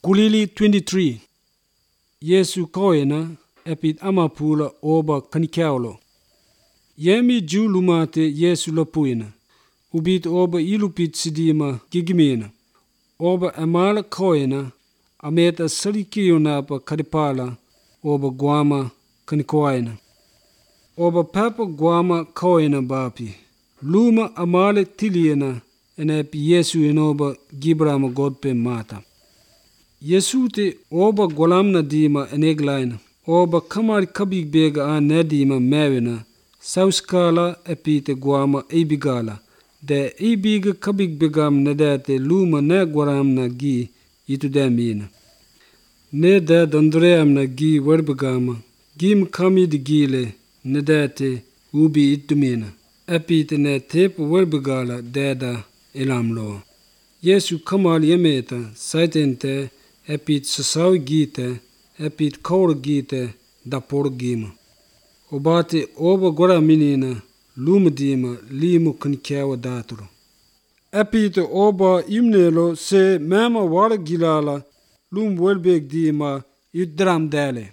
Kulili 23 Yesu koena epit amapula oba kanikaulo. Yemi Jew lumate Yesu lapuina. Ubit oba ilupit sidima gigimina. Oba amala koena ameta salikiyonapa kadipala oba guama kanikoaina. Oba papa guama koena bapi. Luma amale tiliena enepi Yesu enoba gibrama godpe mata. Yesu te oba golamna dima eneglaina. Oba kamari kabig bega nedima mewina. Sauskala epite guama ebigala. De ebiga kabig begam nedete luma ne guaramna gi itudemina. Ne de dondreamna gi werbegama. Gim kami de gile nedete ubi itumina. Epite ne tepu werbegala deda elamlo. Yesu kamal yemeta saitente epit sasawi gite epit kaur gite dapor gima. Obate oba gora minina lumadima limu kankiawa daturo. Epite oba imnelo se mema wara gilala lum welbeg dima idram dale.